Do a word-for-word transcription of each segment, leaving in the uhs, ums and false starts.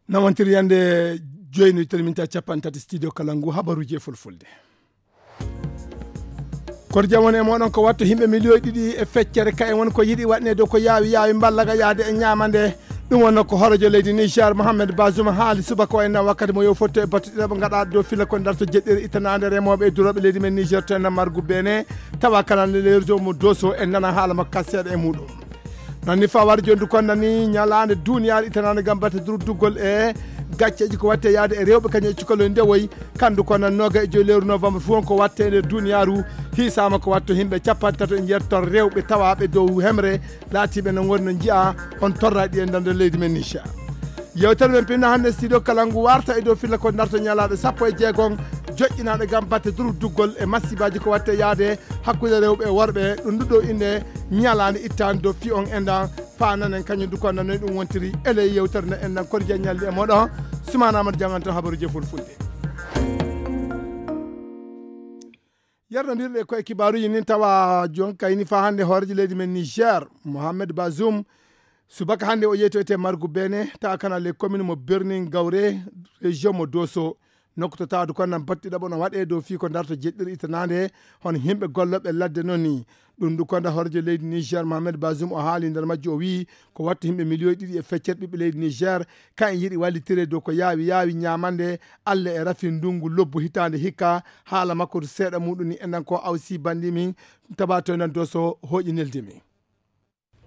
Nawantiri yande joyi no talminta capanɗe tati studio Kalangu, habaruji e fulfulde. Koto jam woni e moɗon ko watto himɓe miliyoyi ɗiɗi e feccere ka en woni ko yiɗi waɗne dow ko yaawi yaawi mballaga yaade e ñaamande. Ɗum wonno ko horojo leydi Niger Mohamed Bazoum haali subaka o enna wakkati mo yo fotto e battuɗiɗo ɓe gaɗa dow fila ko darto jeɗɗiri ittanande remoɓe e duroɓe leydi men Niger to enna margu bene tawa kanande leyrujo mo doso en nana haala makka seeɗa e muɗum. Nanni fa wari jondu kon nani ñalaande duniyaaru ittanaande gam batte durduggol e gacceeji ko watte yaade e rewɓe kañum e cukaloy ndewoy. Kandu kon nan noga e joyi lewru novembre fof on ko watte e nder duniyaaru. Hiisaama ko watto himɓe capanɗe tato e njeetto rewɓe tawaaɓe dow hemre laatiiɓe no ngoni no njiya on torraaɗi e nder leydi men Niger. Yewtere men pinna hannde studio kala ngu warta e dow filla ko darto ñalaaɗe sappo e jeegom joƴƴinaaɗe gam batte durduggol e masibaji ko watte yaade hakkunde rewɓe e worɓe. Ɗum nduɗo innde ñalaande ittaande dow fi on enɗan fa nanen kañum du ko nanoy ɗum wontiri ele yewtere nde enɗan kono jeññalli e moɗon. Sumana amadou janganto habaruji e fulfulde. Yerno mbirɗe koye kibaruji nin tawa jon kayni fa hannde hoorejo leydi men Niger Mohamed Bazoum. Subaka hannde o yeytoyte margu bene tawa kana les commune mo birnin gawre région mo doso. Nokku to tawde kon nan batti ɗaɓo no waɗe dow fii ko darto jeɗɗiri ittanaande hono himɓe golloɓe ladde noon ni. Ɗum ndu konda horjo leydi Niger Mohamed Bazoum o haali nder majjo o wii ko wattu himɓe miliyoyi ɗiɗi e feccere ɓiɓɓe leydi Niger. Ka en yiɗi wallitire dow ko yaawi yaawi ñaamande. Alla e rafi ndungu lobbu hitaande hikka. Haala makko to seeɗa muɗum ni enɗan ko awsi bandi min tabato nan doso hooƴi neldi min.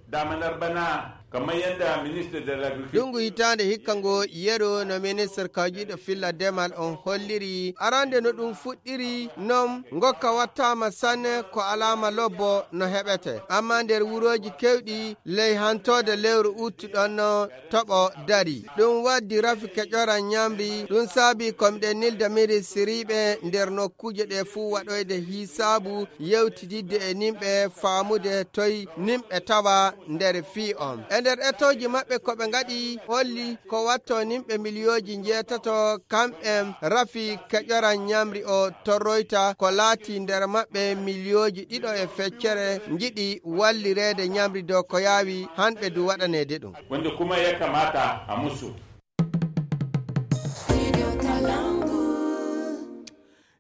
Damanar bana kamar yadda minister da l'agriculture. Ɗungu hitaande hikka ngo yero no minister kawjiɗo filla demal on holliri arande no ɗum fuɗɗiri non ngokka wattaama sanne ko alaama lobbo no heɓete amma nder wurooji kewɗi ley hantode lewru uttu ɗon no toɓo dari. Ɗum waddi rafi keƴora ñamri ɗum saabi ko miɗen nilda ministiriiɓe nder nokkuuje ɗe fuu waɗoyde hisaabu yewtididde e nimɓe faamude toy nimɓe tawa nder fii on. E nder etooji maɓɓe ko ɓe ngaɗi holli ko watto nimɓe miliyooji njeetato kamɓen rafi keƴora ñamri o torroyta ko laati nder maɓɓe miliyooji ɗiɗo e feccere njiɗi wallireede ñamri dow ko yaawi hanɓe du waɗaneede ɗum. Wanda kuma ya kamata a musu.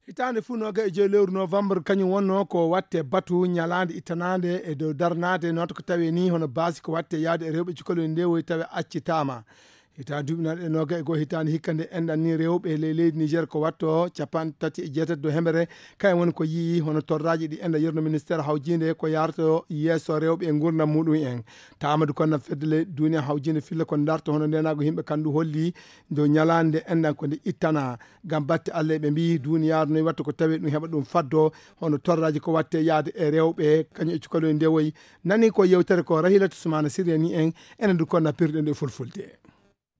Hitaande fuu noga e joyi lewru novembre kañum wonno ko watte batu ñalaande ittanaande e dow darnaade noota ko tawi ni hono baasi ko watte yaade e rewɓe cukalel ndewoy tawi accitaama. Hitaande duuɓi naɗe noga e goo hitaande hikka nde enɗan ni rewɓe ley leydi Niger ko watto capanɗe tati e jeetati dow hemere. Kayen woni ko yii hono torraaji ɗi enɗa yerno ministére hawjinde ko yarto yeeso rewɓe e ngurdam muɗum en. Taamadu kon na fedde ley duniya hawjinde filla ko darto hono ndenago yimɓe kandu holli dow ñalaande enɗan ko nde ittana. Gam batte Allah ɓe mbi duniyaaru noy watta ko tawi ɗum heɓa ɗum faddo hono torraaji ko watte yaade e rewɓe kañum e cukaloy ndewoy. Nani ko yewtere ko rahilatu sumana siriyani en. Enen du kon na pirɗen ɗo e fulfulde.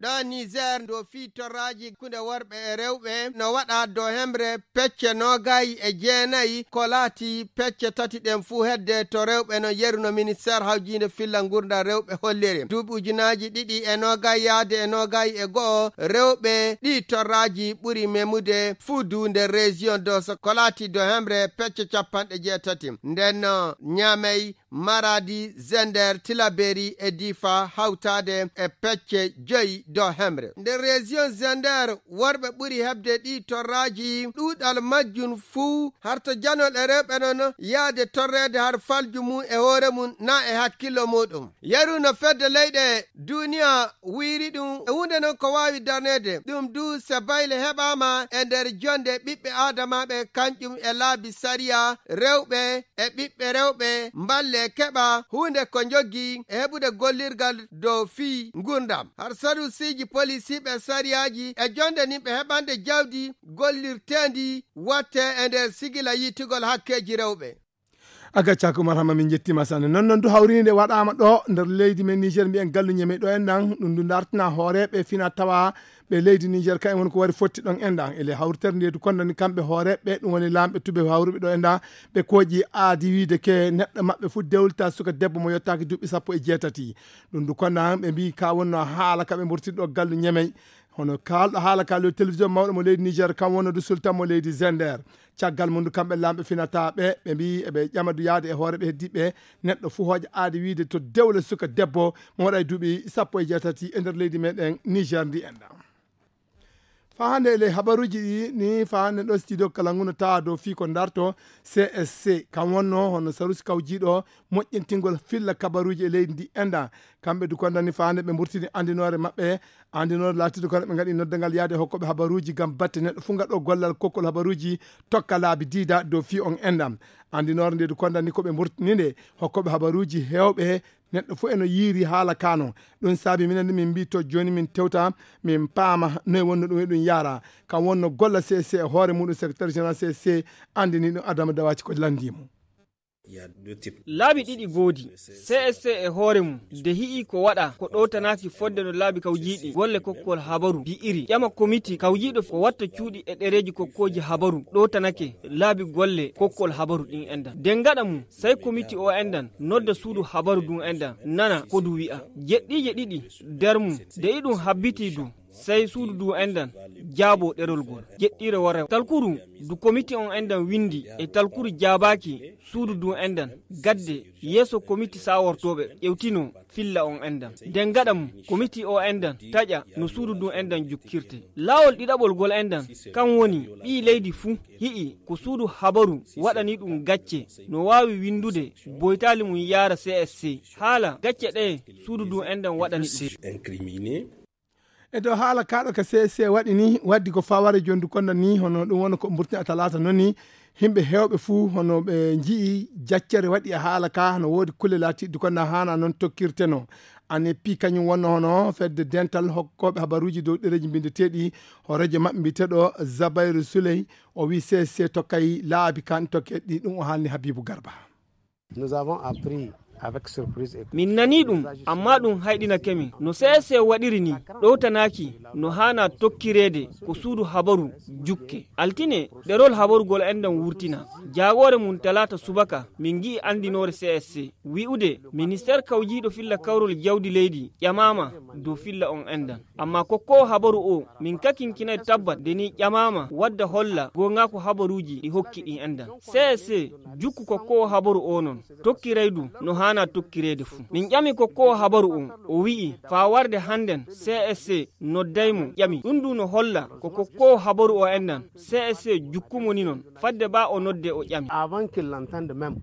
Ɗo Niger ndo fii torraaji kunde worɓe e rewɓe no waɗa dow hemre pecce noogayi e jeenayi ko laati pecce tati ɗen fuu hedde to rewɓe no yeruno ministère hawjiinde filla ngurdam rewɓe holliri duuɓi ujunaaji ɗiɗi e noogayi yaade e noogayi e go'o rewɓe ɗi torraaji ɓuri memude fuu du nder région doso ko laati dow hemre pecce capanɗe jeetati. Nden no ñamey Maradi, Zender, Tilaberi e Difa hawtaade e pecce joyi dow hemre. Nder région Zender, worɓe ɓuri heɓde ɗi torraaji ɗuuɗal majjum fuu harto janol e rewɓe non yaade torreede har falju mum e hoore mum na e hakkillo muɗum. Yeru no fedde leyɗe duniya wiyri ɗum e huunde non ko waawi darneede ɗum du se bayle heɓaama e nder jonde ɓiɓɓe aadamaaɓe kanƴum e laabi sariya rewɓe e ɓiɓɓe rewɓe mballe keɓa huunde ko njoggi e heɓude gollirgal dow fii ngurndam har sarusiiji polisiiɓe sariyaaji e jonde nin ɓe heɓande jawdi gollirteendi watte e nder sigila yiitugol hakkeeji rewɓe. A gaccaka Umar Hamma min jettima sanne non non du hawrini nde waɗama ɗo nder leydi men Niger mbiyen gallu ñeme ɗo en ɗan ɗum du dartina hooreɓe fina tawa ɓe leydi Niger kayen woni ko wari fotti ɗon en ɗan ele hawritere nde du kondani kamɓe hooreɓe ɗum woni lamɓe tuɓe hawruɓe ɗo en ɗan ɓe kooƴi aadi wiide ke neɗɗo maɓɓe fu dewlita suka debbo mo yottaki duuɓi sappo e jeetati. Ɗum du kondan ɓe mbi ka wonno haala kaɓe mbortiri ɗo gallu ñemey. Hono kaalɗo haala ka lewru télévision mawɗo mo leydi Niger, kam wonno du sultan mo leydi Zender. Caggal mum du kamɓe laamɓe finata ɓe, ɓe mbi eɓe ƴama du yaade e hooreɓe heddiɓe, neɗɗo fuu hooƴa aadi wiide to dewle suka debbo mo waɗa e duuɓi sappo e jeetati e nder leydi meɗen Niger ndi enɗan. Faa hannde e ley habaruuji ɗi ni, faa hannde ɗo studio kala ngu no tawa dow fii ko darto C S C. Kam wonno hono sarusi kawjiiɗo moƴƴintingol filla kabaruuji e leydi ndi enɗan. Kamɓe du kondani faa hannde ɓe mburtini anndinoore maɓɓe. Anndinoore laatiiɗo kono ɓe ngaɗi noddangal yaade hokkooɓe habaruuji ngam batte neɗɗo fuu ngaɗo gollal kokkol habaruuji tokka laabi diida dow fii on enɗan. Anndinoore nde du kondani ko ɓe mburtini nde hokkooɓe habaruuji heewɓe neɗɗo fuu eno yiiri haala ka non. Ɗum saabi minen du min mbi to jooni min tewta, min paama noye wonno ɗum e ɗum yaara. Kam wonno golla C S C e hoore muɗum, secrétaire général C S C anndini ɗum Adama Dawaci ko lanndii mo. Laabi ɗiɗi ngoodi. C S C e hoore mum, nde hi'i ko waɗa ko ɗowtanaaki fodde no laabi kawjiiɗi golle kokkol habaru mbi'iri, ƴama komiti kawjiiɗo ko watta cuuɗi e ɗereeji kokkooji habaru ɗowtanake laabi golle kokkol habaru ɗin enɗan. Nden gaɗa mum, sey komiti o enɗan nodda suudu habaru ndun enɗan, nana ko ndu wi'a. Jeɗɗiije ɗiɗi nder mum, nde iɗum habbitii du, sey suudu ndu enɗan jaabo ɗerol ngol. Jeɗɗiire wara talkuru ndu komiti on enɗan windi e talkuru jaabaaki suudu ndu enɗan, gadde yeeso komiti sawortooɓe ƴewtino filla on enɗan. Nden gaɗa mum, komiti o enɗan taƴa no suudu ndu enɗan jukkirte. Laawol ɗiɗaɓol ngol enɗan, kan woni ɓii leydi fuu hi'i ko suudu habaru waɗani ɗum gacce, no waawi windude boytaali mum yaara C S C. Haala gacce ɗe suudu ndu enɗan waɗani ɗum. E dow haala kaaɗo ka C S C waɗi ni, waddi ko faware jondu konda ni, hono ɗum wona ko mburtina talaata non ni. Himɓe heewɓe fuu hono ɓe nji'i jaccere waɗi e haala ka, hono woodi kulle laatiiɗe konda haana non tokkirteno. Ane pi kañum wonno hono fedde dental hokkooɓe habaruuji dow ɗereeji mbindeteeɗi, hooreejo maɓɓe mbiyeteeɗo Zabayru Suley, o wi C S C tokkay laabi kan tokkeɗi ɗum o haalni Habibu Garba. Nous avons appris avec surprise et... Min nanii ɗum, ammaa ɗum hayɗinake min. No C S C waɗiri nii, ɗowtanaaki no haanaa tokkireede ko suudu habaru jukke. Altine, ɗerol habarugol enɗan wurtina. Jaagoore mum talaata subaka, min ngi'i anndinoore C S C wi'ude ministeer kawjiiɗo filla kawrol jawdi leydi ƴamaama dow filla on enɗan. Ammaa kokkoowo habaru oo, min kakinkinay tabbat nde nii ƴamaama wadda holla goongaaku habaruuji ɗi hokki ɗin enɗan. C S C jukku kokkoowo habaru oo non, tokkiray du no haanaa tokkireede fuu. Min ƴami kokkoowo habaru on, o wi'i faa warde hannden C S C nodday mo ƴami. Ɗum du no holla ko kokkoowo habaru oo enɗan C S C jukku mo ni non, fadde baa o noddee o ƴami. Avant qu'il l'entende même.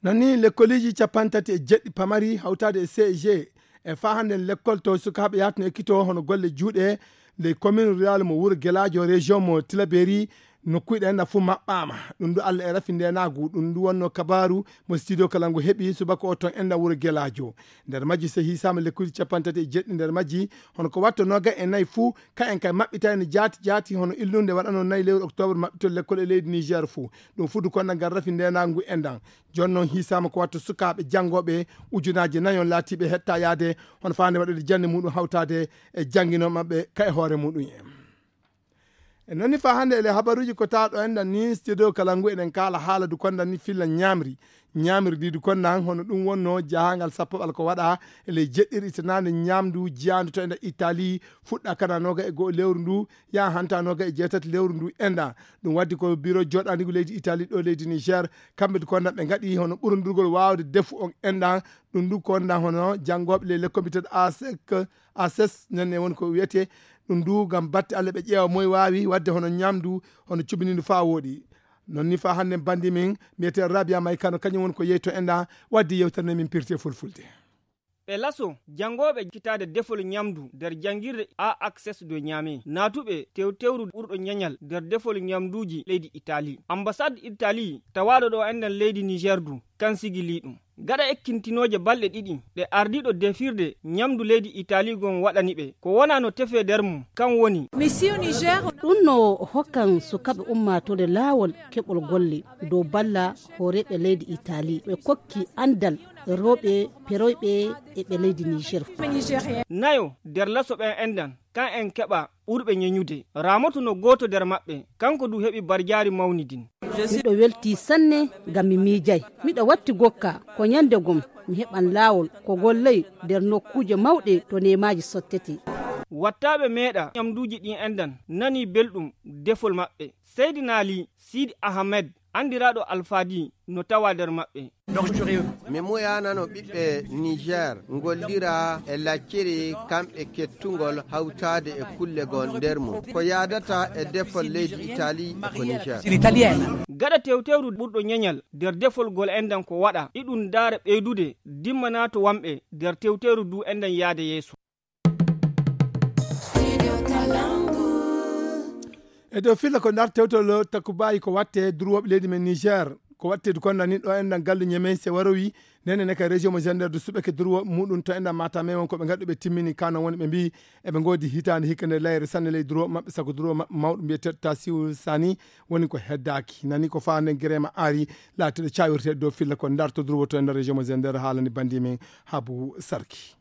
Non ni lekkoliiji cappanɗe tati e jeɗɗi pamari hawtaade e C E G e faa hannden lekkol to sukaaɓe yahatno ekkitoo hono golle juuɗe ley commune rurale mo Wuro Gelaajo, région mo Tilaberi, nokkuuji ɗe enɗan fuu maɓɓaama. Ɗum du Allah e rafi ndeenaagu, ɗum du wonno kabaaru mo studio kala ngu heɓi subaka o toon enɗan Wuro Gelaajo. Nder majji so hiisaama lekkuuji cappanɗe tati e jeɗɗi nder majji, hono ko watto noogay e nayi fuu, kayen kay maɓɓitayno jaati jaati, hono illunde waɗano nayi lewru octobre maɓɓitol lekkol e leydi Niger fuu. Ɗum fuu du konda ngal rafi ndeenaagu enɗan. Jooni noon hiisaama ko watto sukaaɓe janngooɓe ujunaaji nayon laatiiɓe hetta yaade, hono faande waɗude jannde muɗum hawtaade e jannginoo maɓɓe ka e hoore muɗum en. E noon ni faa hannde e le habaruuji ko tawa ɗo enɗan ni studio kala ngu eɗen kaala haala du konda ni filla ñaamri. Ñaamri ndi du konda hono ɗum wonno jahangal sappo ɓal ko waɗa e ley jeɗɗiri itanaande ñaamdu jiyaandu to enɗan Italie, fuɗɗa kana nooga e go'o lewru ndu, yaha hanta nooga e jeetati lewru ndu enɗan. Ɗum waddi ko biro jooɗaandigu leydi Italie ɗo leydi Niger, kamɓe du konda ɓe ngaɗi hono ɓurundurgol waawde defu on enɗan, ɗum du konda hono janngooɓe ley lekkol mbiyeteeɗo ASEC, ASES, nen ne woni ko wiyetee, ɗum du ngam batte Allah ɓe ƴeewa moy waawi waɗde hono ñaamdu, hono cuɓinindu faa wooɗi. Non ni faa hannden banndi min mbiyetee Rabia May Kano, kañum woni ko yeyto enɗan, waddi yewtere nde min pirti e fulfulde. Ɓe laso janngooɓe kitaade defol ñamdu nder janngirde A Access de Niamey, naatuɓe tewtewru ɓurɗo ñañal nder defol ñamduuji leydi Italie. Ambassade Italie tawaaɗo ɗo enɗan leydi Niger du, kan sigilii ɗum. Gaɗa ekkintinooje balɗe ɗiɗi ɗe ardiiɗo defirde ñamdu leydi Italie gon waɗani ɓe, ko wonaa no tefee nder mum, kan woni. Ɗum no hokkan sukaaɓe ummaatoore laawol keɓol golle dow balla hooreeɓe leydi Italie. Ɓe kokki anndal rewɓe peroyɓe e ɓe leydi Niger. Nayo nder laso ɓen enɗan, kan en keɓa ɓurɓe ñeñude. Ramoto no gooto nder maɓɓe, kanko du heɓi barjaari mawni din. Miɗo weltii sanne ngam mi miijay. Miɗo watti gokka ko ñande gom mi heɓan laawol ko gollay nder nokkuuje mawɗe to neemaaji sottetee. Wattaaɓe meeɗa ñamduuji ɗin enɗan nanii belɗum defol maɓɓe. Seydi Naali Siidi Ahamed, anndiraaɗo Alfaadi, no tawaa nder maɓɓe. Mi muyanano ɓiɓɓe Niger ngollira e lacciri kamɓe kettugol hawtaade e kulle gon nder mum. Ko yaadata e defol leydi Itali e ko Niger. Gaɗa tewteeru ɓurɗo ñeñal nder defol gol enɗan ko waɗa, iɗum ndaara ɓeydude dimmanaa to wamɓe nder tewteeru du enɗan yaade yeeso. E dow filla ko ndar tewtolo takkubayi ko watte durwoɓe leydi men Niger. Ko watte du konda nin ɗo enɗan gallu ñemen se warowi. Nene ne ka région mo gender du suɓeke durwoɓe muɗum to enɗan mata men won ko ɓe gaɗu ɓe timmini kano woni ɓe mbi eɓe godi hitande hikka nde layre sanne ley durwoɓe maɓɓe sago durwoɓe maɓɓe mawɗo mbiyeteɗo ta siwul sani. Woni ko heddaki nani ko fa nden girema ari latiɗo cawirte dow filla ko ndar to durwo to enɗan région mo gender haalani bandi men habu sarki.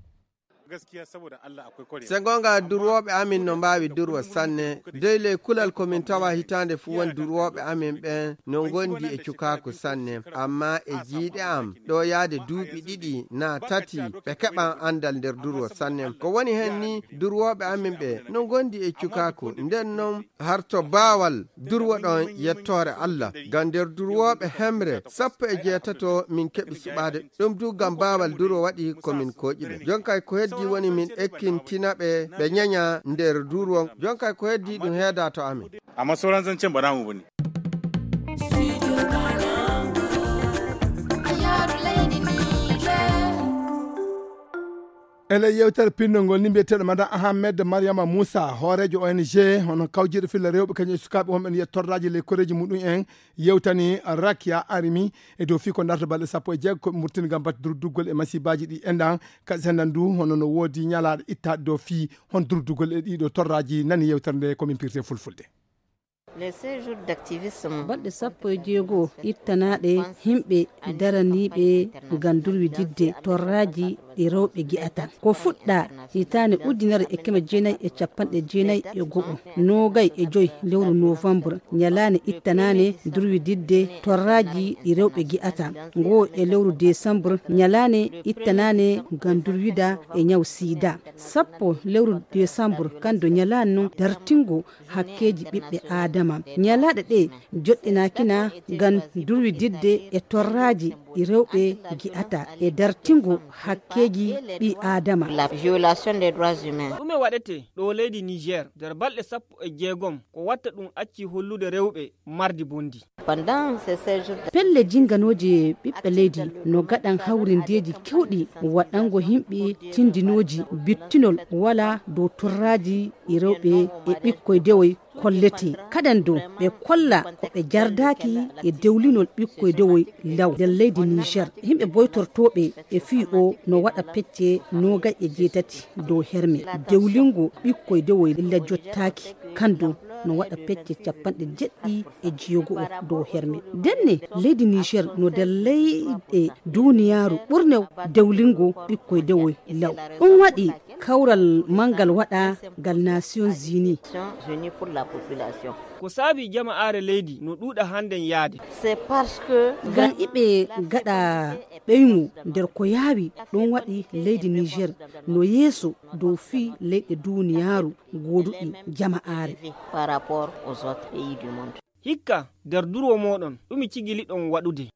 Se gonga durwooɓe amin no mbaawi durwa sanne. Dey ley kulal ko min tawa hitaande fuu won durwooɓe amin ɓen no ngondi e cukaaku sanne. Amma e jiiɗe am ɗo yaade duuɓi ɗiɗi naa tati ɓe keɓan anndal nder durwa sanne. Ko woni hen ni durwooɓe amin ɓe no ngondi e cukaaku. Nden non harto baawal durwa ɗon yettoore Allah. Ngam nder durwooɓe hemre sappo e jeetato min keɓi suɓaade. Ɗum du ngam baawal duro waɗi ko min kooƴi ɓe. Jonkay ko heddi woni min ekkintina ɓe ɓe ñaña nder duro. Jonkay ko heddi ɗum heeda to amin. Amma sauran zancen ba namu bane. Ele yewtere pinndol ngol ni mbiyeteeɗo madan Ahmed Mariama Moussa hooreejo O N G hono kawjiiɗo filla rewɓe kañum e sukaaɓe wonɓe no yiya torraaji ley koreeji muɗum en. Yewtani Rakia Arimi e dow fii ko ndarta balɗe sappo e jeego ko ɓe murtini ngam batte durduggol e masiibaaji ɗi enɗan. Kadi sendan du hono no woodi ñalaaɗo ittaaɗo dow fii hon durduggol e ɗiɗo torraaji nani yewtere nde ko min pirte fulfulde. Balɗe sappo e jeego ittanaaɗe himɓe daraniiɓe ngam durwididde torraaji ɗi rewɓe gi'ata ko fuɗɗa hitaande ujunere e keme jeenayi e capanɗe jeenayi e go'o. Noogay e joy lewru novembre ñalaande ittanaane durwididde torraaji ɗi rewɓe gi'ata. Ngoo e lewru décembre ñalaande ittanaane ngam durwida e ñaw sida. Sappo lewru décembre kando ñalaande non dartingo hakkeeji ɓiɓɓe aadama. Ñalaaɗe ɗe joɗɗinaakina ngam durwididde e torraaji ɗi rewɓe gi'ata e dartingo hakkeeji ɓi aadama. Ɗume waɗete ɗo leydi Niger nder balɗe sappo e jeegom ko watta ɗum acci hollude rewɓe mardi bondi? Pelle jinganooje ɓiɓɓe leydi no gaɗan hawrindeeji kewɗi waɗango himɓe tindinooji bittinol wala dow torraaji e rewɓe e ɓikkoy dewoy kollete kadan dow ɓe kolla ko ɓe jardaaki e dewlinol ɓikkoy dewoy law nder leydi Niger. Yimɓe boytortooɓe e fii o no waɗa pecce noogay e jeetati dow herme dewlingo ɓikkoy dewoy illa jottaaki kan dow no waɗa pecce capanɗe jeɗɗi e jeego o dow herme. Ndenne leydi Niger no nder leyɗe duniyaaru ɓurne dewlingo ɓikkoy dewoy law. Ɗum waɗi kawral manngal waɗa ngal Nations Unies. Ko saabi jama'aare leydi no ɗuuɗa hannden yaade? Ngam iɓe gaɗa ɓeyŋu nder ko yaawi ɗum waɗi leydi Niger no yeeso dow fii leyɗe duniyaaru gooduɗi jama'aare. Hikka nder durwo mooɗon ɗumi cigiliɗon waɗude?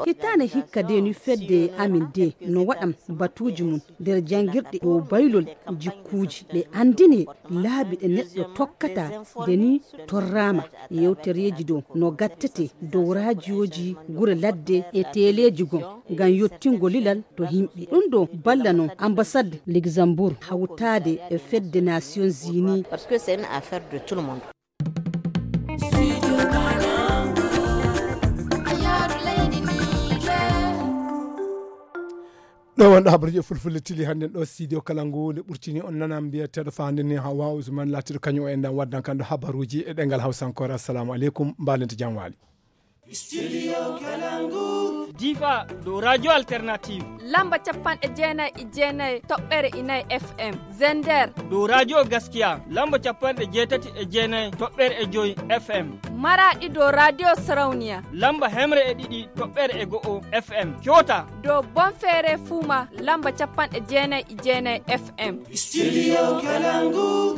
Hitaane hikka de ni fedde amin de no waɗan batuuji mum nder janngirɗe dow baylol jikkuuji ɓe anndine laabi ɗe neɗɗo tokkata de ni torraama yewtereeji dow no gattete dow raajiyooji gure ladde e teeleeji gon ngam yottingo lilal to yimɓe ɗum ɗo balla non ambasad luxembourg hawtaade e fedde nations unies. Ɗo wonɗo habaruji e fulfulde tili hannden ɗo studio kala ngu nde ɓurtini on nana mbiyeteɗo fa hannden ni hawa usman latiɗo kañum o enɗan waddan kan ɗo habaruji e ɗengal hawsankore assalamu aleykum mbalente jam waali. Studio Kalangu. Difa dow Radio Alternative. Lamba capanɗe jeenayi e jeenayi toɓɓere inayi F M. Zender. Dow Radio Gaskiya. Lamba capanɗe jeetati e jeenayi toɓɓere e joyi F M. Maraɗi dow Radio Sarauniya. Lamba hemre e ɗiɗi toɓɓere e go'o F M. Kyota. Dow Bonfere Fuma. Lamba capanɗe jeenayi e jeenayi F M. Studio Kalangu.